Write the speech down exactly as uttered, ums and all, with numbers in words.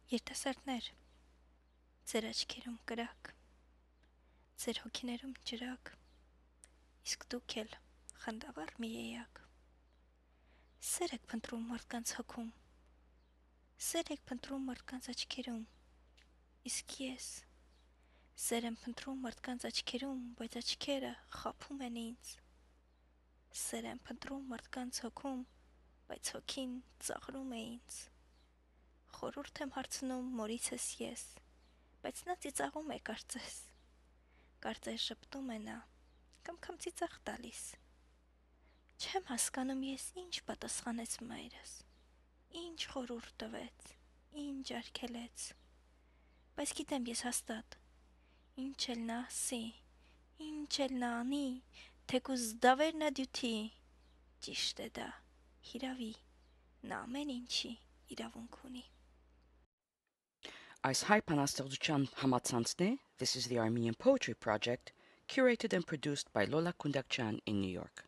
Երիտասարդներ, ձեր աչքերում կրակ, ձեր հոգիներում ջրակ, իսկ դուք էլ խանդավառ մի էակ։ Սեր եք փնտրում մարդկանց հոգում, սեր եք փնտրում մարդկանց աչքերում, իսկ ես սեր եմ փնտրում մարդկանց աչքերում, բայց աչքերը խաբում են ինձ։ Սեր եմ փնտրում մարդկանց հոգում, բայց հոգին ծաղրում է ինձ։ Խորհուրդ եմ հարցնում մորիցս ես, բայց նա ծիծաղում է կարծես, կարծես ժպտում է նա, կամ կամ ծիծաղ տալիս։ Չեմ հասկանում ես ինչ պատասխանեց մայրս, ինչ խորհուրդ տվեց, ինչ արգելեց, բայց գիտեմ ես հաստատ, ինչ էլ նա ասի, ինչ էլ նա անի, թեկուզ դավեր նա դյութի, ճիշտ է դա, հիրավի, նա ամեն ինչի իրավունք ունի։ Այս հայ բանաստեղծության համացանցն է This is the Armenian Poetry Project, curated and produced by Lola Kundakchan in New York.